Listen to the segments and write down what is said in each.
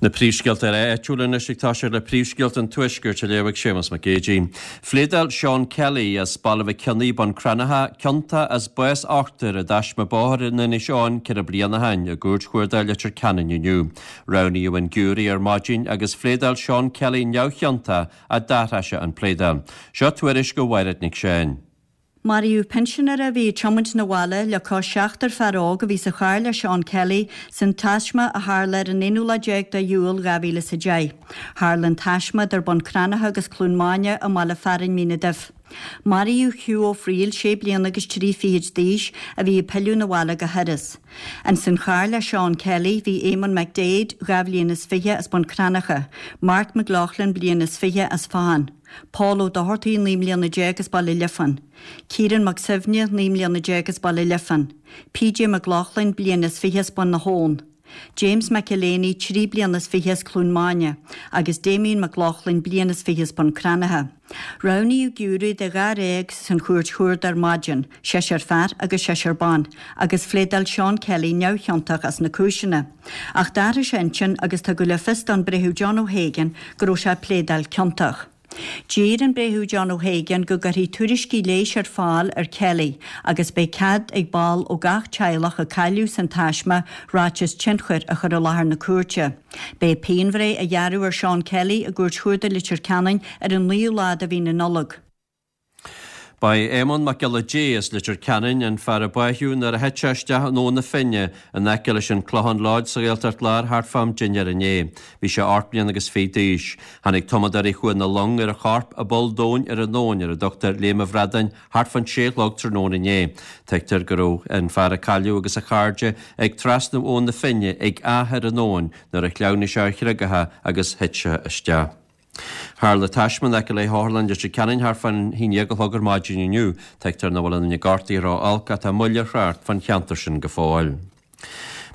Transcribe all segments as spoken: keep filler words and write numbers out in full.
Na príomhscéalta áitiúla anois ag toiseacht le príomhscéalta an Tuaiscirt á léamh ag Séamus Mac Géidigh. Phléadáil Seán Kelly as Baile Mhic Cionnaith, Bun Cranncha, ciontach as bás ochtar i dtaisme bóthair in Inis Eoghain ceithre bliana ó shin i gCúirt Chuarda Leitir Ceanainn inniu. Roghnaíodh an giúiré ar maidin agus phléadáil Seán Kelly neamhchiontach ach d'athraigh sé an pléadáil. Seo tuairisc ó Mhairéad Nic Seáin. Maraíodh pinsinéir a bhí ag tiomáint na bhaile le cois seachtar fear óg a bhí sa charr le Seán Kelly san taisme a tharla ar an aonú lá déag de Iúil dhá mhíle is a deich. Tharla an taisme idir Bun Cranncha agus Cluain Maine i mbaile fearainn Mín an Duibh. Maraíodh Hugh Ó Frighil sé bliana agus trí fichid d'aois a bhí ag pilleadh na bhaile go hIorras. Ins an charr le Seán Kelly bhí Eamon McDade dhá bhliain is fiche as Bun Cranncha, Mark McLaughlin bliain is fiche as Fahan. Paul Ó Dochartaigh naoi mbliana déag as Baile Liofáin. Kieran Mac Suibhne naoi mbliana déag as Baile Liofáin. PJ McLaughlin bliain is fiche as Bun na hAbhann. James McElhaney trí bliana is fiche as Cluain Maine agus Damien McLaughlin bliain is fiche as Bun Cranncha. Roghnaíodh giúiré de dháréag san chúirt chuarda ar maidin, seisear fear agus seisear ban, agus phléadáil Seán Kelly neamhchiontach as na cúiseanna. Ach d'athraigh sé intinn agus tugadh le fios don Bhreitheamh John O'Hagan go raibh sé ag pléadáil ciontach. D'iarr an Breitheamh John O'Hagan go gcuirfí tuairiscí leighis ar fáil ar Kelly agus beidh cead ag ball ó gach teaghlach a cailleadh san taisme ráiteas tionchair a chur i láthair na cúirte. Beidh pianbhreith á gearradh ar Seán Kelly i gCúirt Chuarda Leitir Ceanainn ar an naoú lá de mhí na Nollag. Ba é Éamonn Mac Giolla Dé as Leitir Ceanainn an fear a báitheadh nuair a thit sé isteach in Abhainn na Finne in aice leis an Clochán Lodge sa Ghaeltacht Láir thart fá am dinnéir inné. Bhí sé ocht mbliana agus fiche d'aois. Tháinig tumadóirí Chuan na Long ar a chorp i bpoll domhain ar an abhainn ar a dtugtar Léim an Bhradáin thart fán sé a chlog tráthnóna inné. Tuigtear go raibh an fear a cailleadh agus a chairde ag trasnú Abhainn na Finne ag áth ar an abhainn nuair a shleamhnaigh sé ar chreagacha agus thit sé isteach. Tharla taisme in aice le hOtharlann Leitir Ceanainn thart fán haon déag a chlog ar maidin inniu. Tuigtear nach bhfuil aon duine gortaithe ró-olc ach tá moill ar thrácht fán cheantar sin go fóill.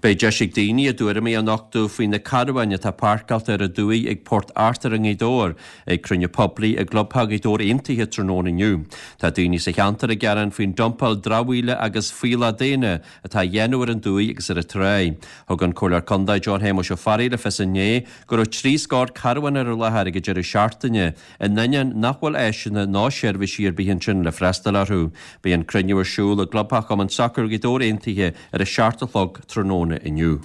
Beidh deis ag daoine a dtuairimí a nochtadh faoi na carbháin atá páirceáilte ar an dumhaigh ag Port Arthur i nGaoth Dobhair ag cruinniú poiblí i gClubtheach Ghaoth Dobhair Aontaithe tráthnóna inniu. Tá daoine sa cheantar ag gearán faoin dumpáil dramhaíola agus fuíollach daonna atá á dhéanamh ar an dumhaigh agus ar an tráigh. Thug an Comhairleoir Contae John Shéamuis Ó Fearraigh le fios inné go raibh trí scór carbhán ar an láthair ag an deireadh seachtaine, in ainneoin nach bhfuil áiseanna ná seirbhísí ar bith ansin le freastal orthu. Beidh an cruinniú ar siúl i gClubtheach Chumann Sacair Ghaoth Dobhair Aontaithe ar a seacht a chlog tráthnóna inniu.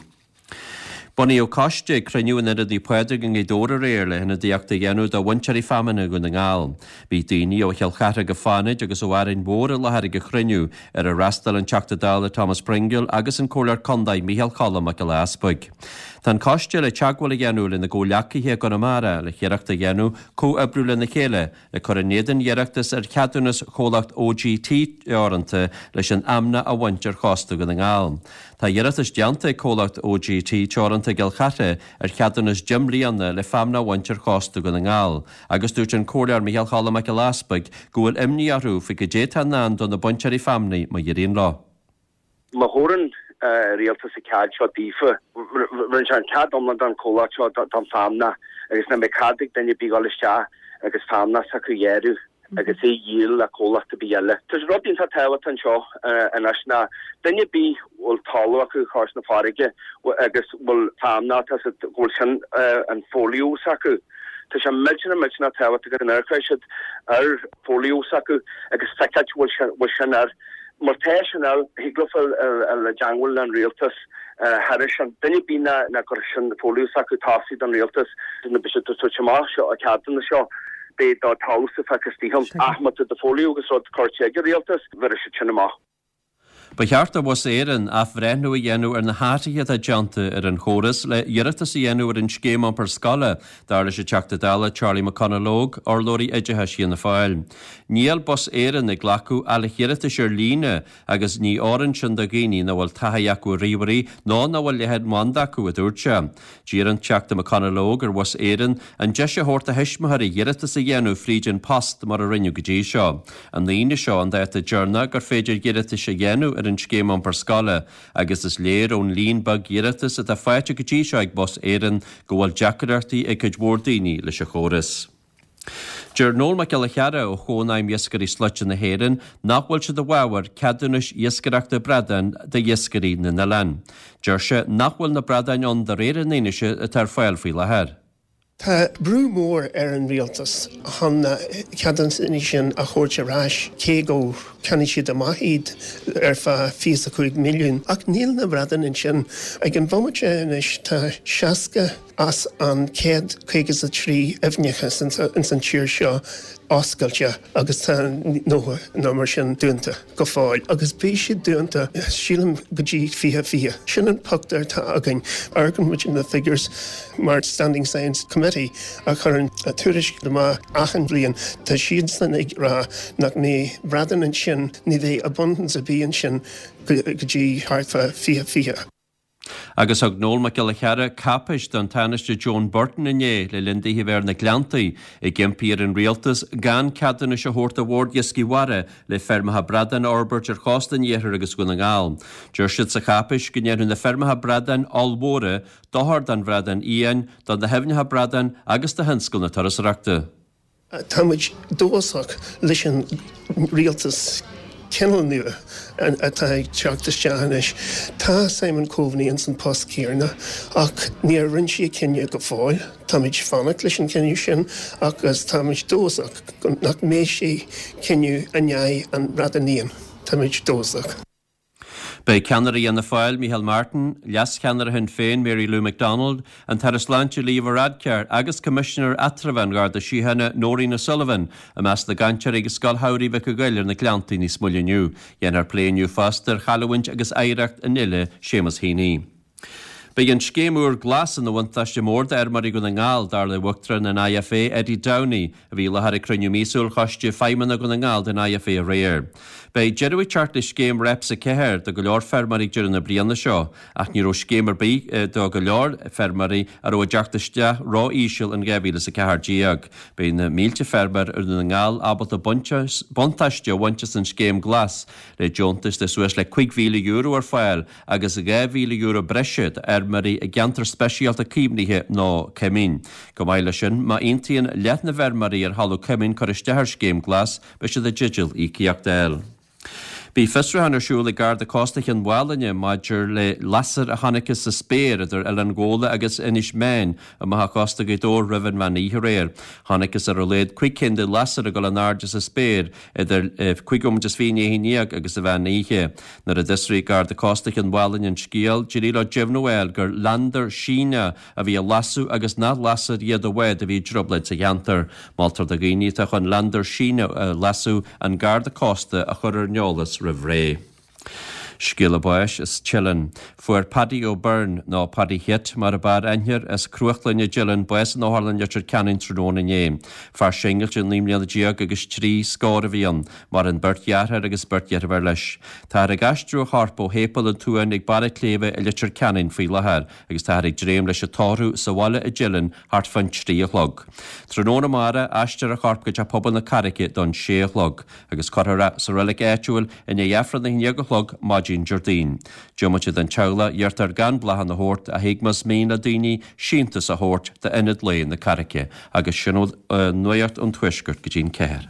Bunaíodh coiste ag cruinniú in Ionad Naomh Pádraig i nGaoth Dobhair aréir le hionadaíocht a dhéanamh do bhainteoirí feamainne Dhún na nGall. Bhí daoine ó Chill Chartha go Fánaid agus ó Árainn Mhór i láthair ag an chruinniú, ar ar fhreastail an Teachta Dála Thomas Pringle agus an Comhairleoir Contae Micheál Choilm Mac Giolla Easpaig. Tá an coiste le teagmháil a dhéanamh lena gcomhghleacaithe i gConamara le hiarracht a dhéanamh comhoibriú lena chéile le cur in éadan iarratas ar cheadúnas chomhlacht OGT Teoranta leis an fheamnach a bhaint ar chósta Dhún na nGall. Tá iarratas déanta ag comhlacht OGT Teoranta i gCill Chartha ar cheadúnas deich mbliana le feamnach a bhaint ar chósta Dhún na nGall agus dúirt an Comhairleoir Micheál Choilm Mac Giolla Easpaig go bhfuil imní orthu faoi goidé atá i ndán do na bainteoirí feamnaí má éiríonn leo. Má thabharann rialtas an cead seo daofa, rinne sé an cead iomlán don chomhlacht seo don feamnach agus ní bheidh cead ag duine ar bith dhul isteach agus feamnach s'acu a ghearradh agus é a dhíol le comhlacht ar bith eile. Tá rud iontach tábhachtach anseo anois ná duine ar bith a bhfuil talamh acu cois na farraige agus bhfuil feamnach, tá siad, go bhfuil sin an folio s'acu. Tá sé millteanach millteanach tábhachtach go n-amharcfaidh siad ar folio s'acu agus feiceáil bhfuil sin air. Má tá sin air, thig leofa dul i dteangmháil leis an rialtas thairis sin. Duine ar bith nach gcuirfidh sin folio s'acu tosaigh don rialtas, nuair beidh siad ag tabhairt amach seo an ceadúnas seo, beidh do talamh-sa feicthe istigh ann. Ach má tá do folio agus rud curtha ag an rialtas, bhéarfaidh siad sin amach. Ba cheart do Bhus Éireann athbhreithniú a dhéanamh ar na hathruithe atá déanta ar an chóras le hiarratas a dhéanamh ar an scéim iompair scoile, dar leis an Teachta Dála Charlie McConalogue, urlabhraí oideachais Fhianna Fáil. Níl Bus Éireann ag glacadh ach iarratais ar líne agus ní fhóireann sin do dhaoine nach bhfuil taithí acu ar ríomhairí nó nach bhfuil leathanbhanda acu, a dúirt sé. D'iarr an Teachta McConalogue ar Bhus Éireann an deis a thabhairt do thuismitheoirí iarratas a dhéanamh fríd an post mar a rinneadh go dtí seo. An Aoine seo an dáta deireanach gur féidir iarratais a dhéanamh ar an scéim iompair scoile agus is léir ón líon beag iarratas atá faighte go dtí seo ag Bus Éireann go bhfuil deacrachtaí ag cuid mhór daoine leis an chóras. Deir Noel Mac Giolla Chearra ó Chónaidhm Iascairí Slaite na hÉireann nach bhfuil siad i bhfabhar ceadúnais iascaireachta bradán d'iascairí na n-oileán. Deir sé nach bhfuil na bradáin ann de réir an fhianaise atá ar fáil faoi láthair. Tá brú mór ar an rialtas chun na ceadúnaisí sin a thabhairt ar ais, cé go cheannaigh siad amach iad ar feadh fiche a cúig milliún. Ach níl na bradáin ansin. Ag an bhomaite anois tá seasca as an céad caoga is a trí aibhneacha ins an tír seo oscailte agus tá nócha nó mar sin dúnta go fóill agus beidh siad dúnta sílim go dtí fiche fiche. Sin an pictiúr atá againn. Amharcann muid na figures mar Standing Science Committee a chuireann tuairisc amach achan bhliain tá siadsan ag rá nach mbeidh bradán ansin ní bheidh abundance ar bith ansin go dtí thart fá fiche fiche. Agus thug Noel Mac Giolla Chearra cáipéis don Tánaiste Joan Burton inné le linn di a bheith ar na Gleanntaí ag impí ar an rialtas gan ceadúnais a thabhairt do Bhord Iascaigh Mhara le feirmeacha bradán a fhorbairt ar chósta an iarthair agus Dhún na nGall. Deir siad sa cháipéis go ndéanfaidh na feirmeacha bradán ollmhóra dochar don bhradán fhiáin, do na haibhneacha bradán agus do thionscal na turasóireachta. Tá muid dóchasach leis an rialtas cineál nua atá ag teacht isteach anois. Tá Simon Coveney ins an post céanna ach níor rinne sé cinneadh go fóill. Táimid fanacht leis an cinneadh sin agus táimid dóchasach nach mbeidh sé cinneadh in aghaidh an bhradán fhiáin. Táimid dóchasach. Beidh ceannaire Fhianna Fáil, Micheál Martin, leascheannaire Shinn Féin, Mary Lou McDonald, an tAire Sláinte Leo Varadkar agus Coimisinéir Eatramhach an Gharda Síochána Nóirín O'Sullivan i measc na gcainteoirí ag Scoil Shamhraidh Mhic a' Ghoill ar na Gleanntaí níos moille inniu. Dhéanfar plé inniu fosta ar chailliúint agus oidhreacht an fhile Seamus Heaney. Beidh an scéim úr Glas ina bhuntáiste mór d'fheirmeoirí Dhún na nGall, dar le Uachtarán an IFA, Eddie Downey, a bhí i láthair ag cruinniú míosúil Choiste Feidhmeanna Dhún na nGall den IFA aréir. Beidh deireadh ag teacht le scéim Reps a ceathair do go leor feirmeoirí ag deireadh na bliana seo, ach ní raibh scéim ar bith do go leor feirmeoirí a raibh a dteacht isteach ró-íseal in dhá mhíle is a ceathair déag. Beidh na mílte feirmeoir i Dhún na nGall ábalta buntáiste a bhaint as an scéim Glas, le deontais de suas le cúig mhíle euro ar fáil agus dhá mhíle euro breise d'fheirmeoirí i gceantar speisialta caomhnaithe nó coimín. Chomh maith leis sin, má aontaíonn leath na bhfeirmeoirí ar thalamh coimín cur isteach ar scéim Glas, beidh siad i dteideal íocaíocht a fháil. Bhí fiosrúchán ar siúl ag Garda Cósta Chionn Mhálanna maidir le lasair a chonacthas sa spéir idir Oileán Ghabhla agus Inis Meáin amach ó chósta Ghaoth Dobhair roimh an mheán oíche aréir. Chonacthas ar a laghad cúig cinn de lasair ag dul in airde sa spéir idir cúig nóiméad is fiche i ndiaidh a haon déag agus an mheán oíche. Nuair a d'fhiosraigh Garda Cósta Chionn Mhálanna an scéal, d'éirigh leo deimhniú a fháil gur landar Síneach a bhí á lasadh agus nach lasair iad de bhád a bhí i dtrioblóid sa cheantar. Moltar do dhaoine atá chun landar Síneach a lasadh an Garda Cósta a chur ar an eolas roimh ré. Scéala báis as Teileann. Fuair Paddy O'Byrne, nó Paddy Hit mar ab fhearr aithne air, as Cruachlainn i dTeileann, bás in Otharlann Leitir Ceanainn tráthnóna inné. Fear singilte naoi mbliana déag agus trí scór a bhí ann. Maireann beirt dheartháir agus beirt dheirféar leis. Táthar ag aistriú a chorp ó Shéipéal an tSuain ag Barra Cléibhe i Leitir Ceanainn faoi láthair agus táthar ag dréim leis an tórramh sa bhaile i dTeileann thart fán trí a chlog. Tráthnóna amárach, aistreofar a chorp go Teach Pobail na Carraice don sé a chlog agus cuirfear é sa reilig áitiúil i ndiaidh Aifreann a haon déag a chlog maidin Déardaoin. Diomaite den teaghlach, iarrtar gan bláthanna a thabhairt ach thig más mian le daoine síntiús a thabhairt d'Ionad Lae na Carraice. Agus sin nuacht an Tuaiscirt go dtí'n ceathair.